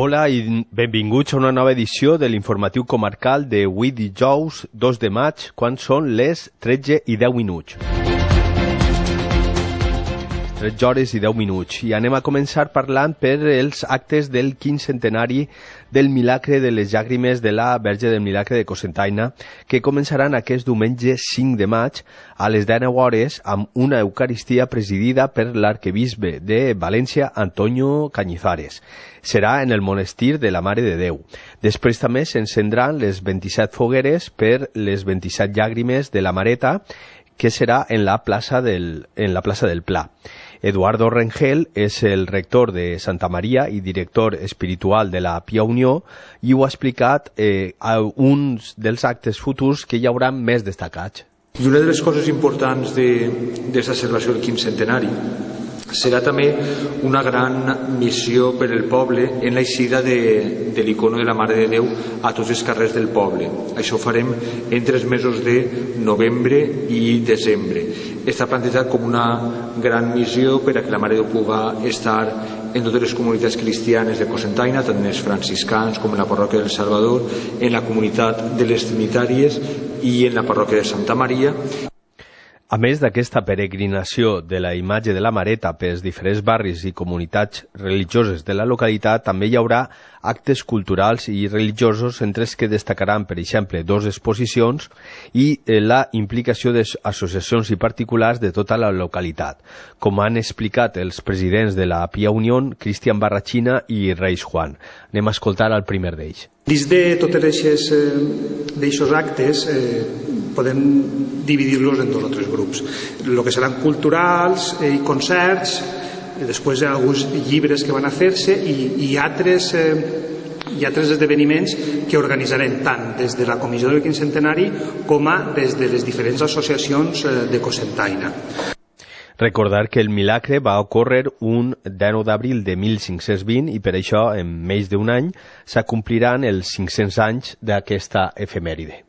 Hola i benvinguts a una nova edició de l'informatiu comarcal de avui dijous 2 de maig, quan són les 13:10. 13 hores i 10 minuts. I anem a començar parlant per els actes del 15 centenari del Milagre de les Llàgrimes de la Verge del Milagre de Cocentaina, que començaran aquest diumenge 5 de maig a les 19 hores amb una Eucaristia presidida per l'arquebisbe de València, Antonio Cañizares. Serà en el monestir de la Mare de Déu. Després també s'encendran les 27 fogueres per les 27 llàgrimes de la Mareta, que serà en la plaça del Pla. Eduardo Rengel és el rector de Santa Maria i director espiritual de la Pia Unió i ho ha explicat a uns dels actes futurs que hi haurà més destacats. I una de les coses importants d'aquesta celebració del 15 centenari serà també una gran missió per al poble en l'eixida de l'icono de la Mare de Déu a tots els carrers del poble. Això ho farem entre els mesos de novembre i desembre. Està plantejat com una gran missió per a que la Mare de Déu pugui estar en totes les comunitats cristianes de Cocentaina, tant en els franciscans com en la parròquia del Salvador, en la comunitat de les Trinitàries i en la parròquia de Santa Maria. A més d'aquesta peregrinació de la imatge de la Mareta pels diferents barris i comunitats religioses de la localitat, també hi haurà actes culturals i religiosos, entre els que destacaran, per exemple, 2 exposicions i la implicació d'associacions i particulars de tota la localitat, com han explicat els presidents de la Pia Unió, Cristian Barrachina i Reis Juan. Anem a escoltar el primer d'ells. Dins de tots aquests actes podem dividir-los en 2 o 3 grups. El que seran culturals i concerts, després alguns llibres que van a fer-se i altres esdeveniments que organitzarem tant des de la Comissió del 15 centenari com des de les diferents associacions de Cocentaina. Recordar que el milagre va ocórrer un 19 d'abril de 1520 i per això en menys d'un any s'acompliran els 500 anys d'aquesta efemèride.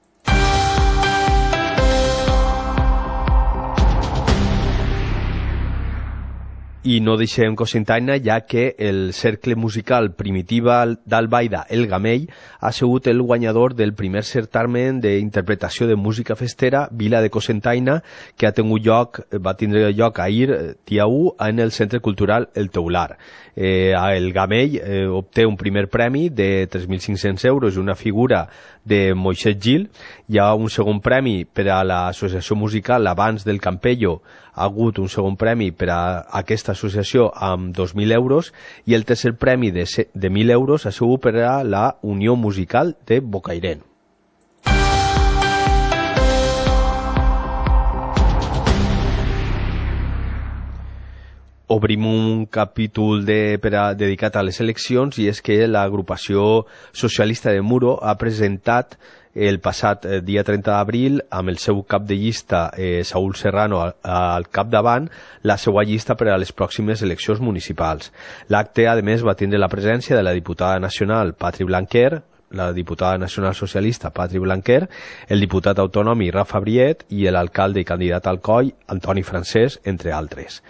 I no deixem Cocentaina, ja que el cercle musical Primitiva d'Albaida, El Gamell, ha sigut el guanyador del primer certamen d'interpretació de música festera Vila de Cocentaina, que va tindre lloc ahir, dia 1, en el Centre Cultural El Teular. El Gamell obté un primer premi de 3.500 euros i una figura de Moixet Gil. Hi ha un segon premi per a l'associació musical Abans del Campello, ha hagut un segon premi per a aquesta associació amb 2.000 euros i el tercer premi de 1.000 euros ha sigut per a la Unió Musical de Bocairent. Obrim un capítol dedicat a les eleccions i és que l'agrupació socialista de Muro ha presentat el passat dia 30 d'abril amb el seu cap de llista, Saúl Serrano, al capdavant, la seva llista per a les pròximes eleccions municipals. L'acte, a més, va tindre la presència de la diputada nacional Patri Blanquer, la diputada nacional socialista Patri Blanquer, el diputat autonòmic Rafa Briet i l'alcalde i candidat al COI Antoni Francesc, entre altres.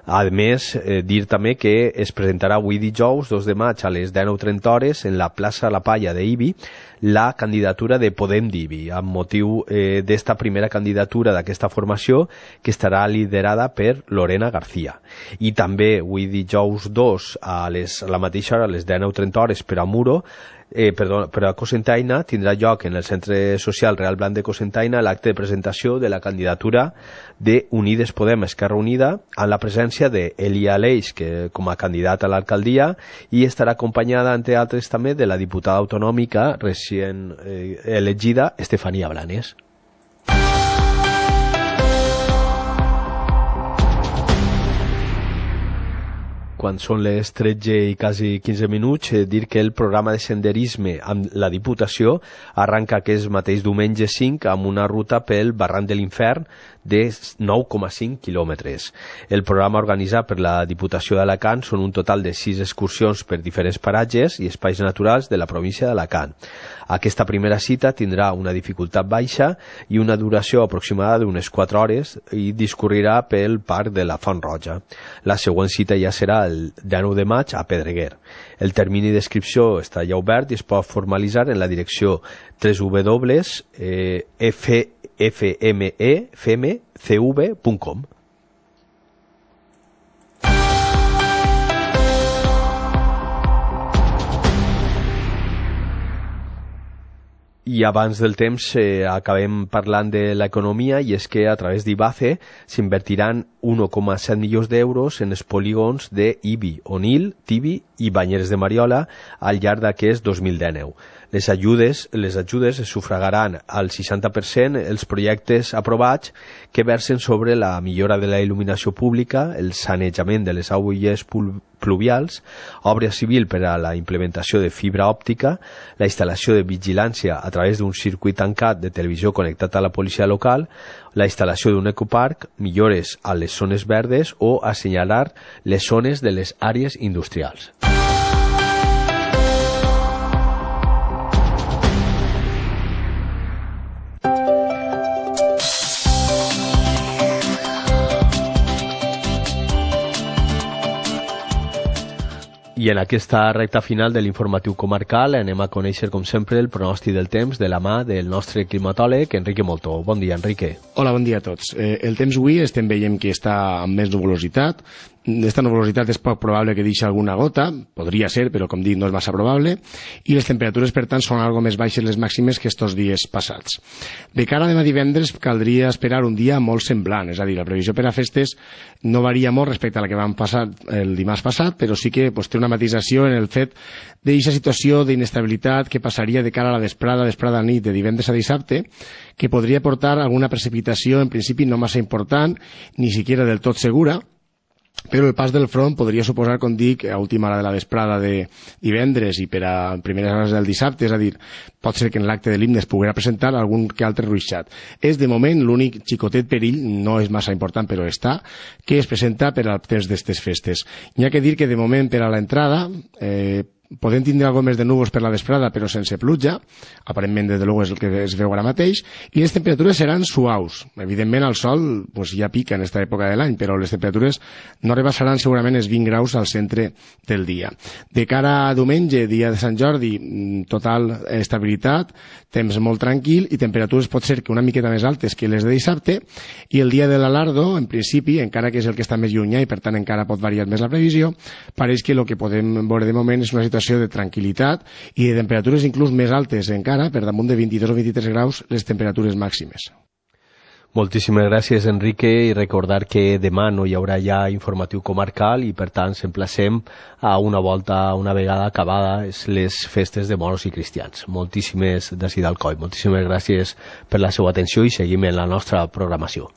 A més, dir també que es presentarà avui dijous 2 de maig a les 19:30 en la plaça La Palla d'Ibi la candidatura de Podem d'Ibi, amb motiu d'esta primera candidatura d'aquesta formació que estarà liderada per Lorena García. I també avui dijous 2 a la mateixa hora, a les 19:30 per a Muro, per a Cocentaina, tindrà lloc en el Centre Social Real Blanc de Cocentaina l'acte de presentació de la candidatura de Unides Podem Esquerra Unida amb la presència d'Elia Aleix com a candidat a l'alcaldia i estarà acompanyada, entre altres, també de la diputada autonòmica recient elegida Estefania Blanes. Quan són les 13 i quasi 15 minuts, dir que el programa de senderisme amb la Diputació arranca aquest mateix diumenge 5 amb una ruta pel Barranc de l'Infern de 9,5 quilòmetres. El programa organitzat per la Diputació d'Alacant són un total de 6 excursions per diferents paratges i espais naturals de la província d'Alacant. Aquesta primera cita tindrà una dificultat baixa i una duració aproximada d'unes 4 hores i discorrirà pel Parc de la Font Roja. La següent cita ja serà el 19 de maig a Pedreguer. El termini d'inscripció està ja obert i es pot formalitzar en la direcció www.fmecv.com. I abans del temps acabem parlant de l'economia, i és que a través d'IBACE s'invertiran 1,7 milions d'euros en els polígons d'Ibi, Onil, Tibi i Banyeres de Mariola al llarg d'aquest 2019. Les ajudes es sufragaran al 60% els projectes aprovats que versen sobre la millora de la il·luminació pública, el sanejament de les aigües pluvials, obra civil per a la implementació de fibra òptica, la instal·lació de vigilància a través d'un circuit tancat de televisió connectat a la policia local, la instal·lació d'un ecoparc, millores a les zones verdes o assenyalar les zones de les àrees industrials. I en aquesta recta final de l'informatiu comarcal anem a conèixer, com sempre, el pronòstic del temps de la mà del nostre climatòleg, Enrique Moltó. Bon dia, Enrique. Hola, bon dia a tots. El temps avui estem veient que està amb més nuvolositat. Esta nuvolositat és poc probable que deixi alguna gota, podria ser, però com dic no és massa probable, i les temperatures per tant són algo més baixes les màximes que estos dies passats. De cara a demà divendres caldria esperar un dia molt semblant, és a dir, la previsió per a festes no varia molt respecte a la que vam passar el dimarts passat, però sí que té una matisació en el fet d'aquesta situació d'inestabilitat que passaria de cara a la vesprada a nit de divendres a dissabte, que podria portar alguna precipitació en principi no massa important, ni siquiera del tot segura, però el pas del front podria suposar, com dic, a última hora de la vesprada de divendres i per a primeres hores del dissabte, és a dir, pot ser que en l'acte de l'himne es poguera presentar algun que altre ruixat. És de moment l'únic xicotet perill, no és massa important però està, que es presenta per al temps d'estes festes. Hi ha que dir que de moment per a l'entrada podem tindre algo més de núvols per la vesprada però sense pluja, aparentment des de luego és el que es veu ara mateix, i les temperatures seran suaus. Evidentment el sol ja pica en aquesta època de l'any, però les temperatures no rebassaran segurament els 20 graus al centre del dia. De cara a diumenge, dia de Sant Jordi, total estabilitat, temps molt tranquil i temperatures pot ser que una miqueta més altes que les de dissabte, i el dia de l'Alardo, en principi, encara que és el que està més llunyà i per tant encara pot variar més la previsió, pareix que el que podem veure de moment és una situació de tranquil·litat i de temperatures inclús més altes encara, per damunt de 22 o 23 graus les temperatures màximes. Moltíssimes gràcies, Enrique, i recordar que demà no hi haurà ja informatiu comarcal i per tant s'emplacem a una volta, una vegada acabades les festes de moros i cristians. Moltíssimes d'ací d'Alcoi, moltíssimes gràcies per la seva atenció i seguim en la nostra programació.